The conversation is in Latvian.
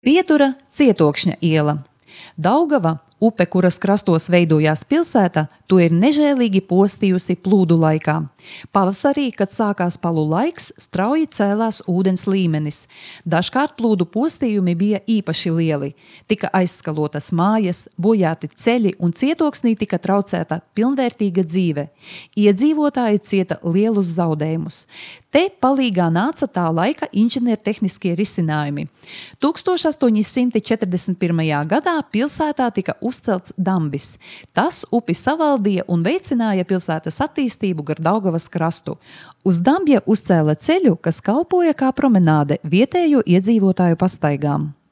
Pietura Cietokšņa iela. Daugava, upe, kuras krastos veidojās pilsēta, to ir nežēlīgi postījusi plūdu laikā. Pavasarī, kad sākās palu laiks, strauji cēlās ūdens līmenis. Dažkārt plūdu postījumi bija īpaši lieli. Tika aizskalotas mājas, bojāti ceļi un Cietoksnī tika traucēta pilnvērtīga dzīve. Iedzīvotāji cieta lielus zaudējumus. Te palīgā nāca tā laika inženiertehniskie risinājumi. 1841. gadā pilsētā tika uzcelts dambis. Tas upi savaldīja un veicināja pilsētas attīstību gar Daugavas krastu. Uz dambja uzcēla ceļu, kas kalpoja kā promenāde vietējo iedzīvotāju pastaigām.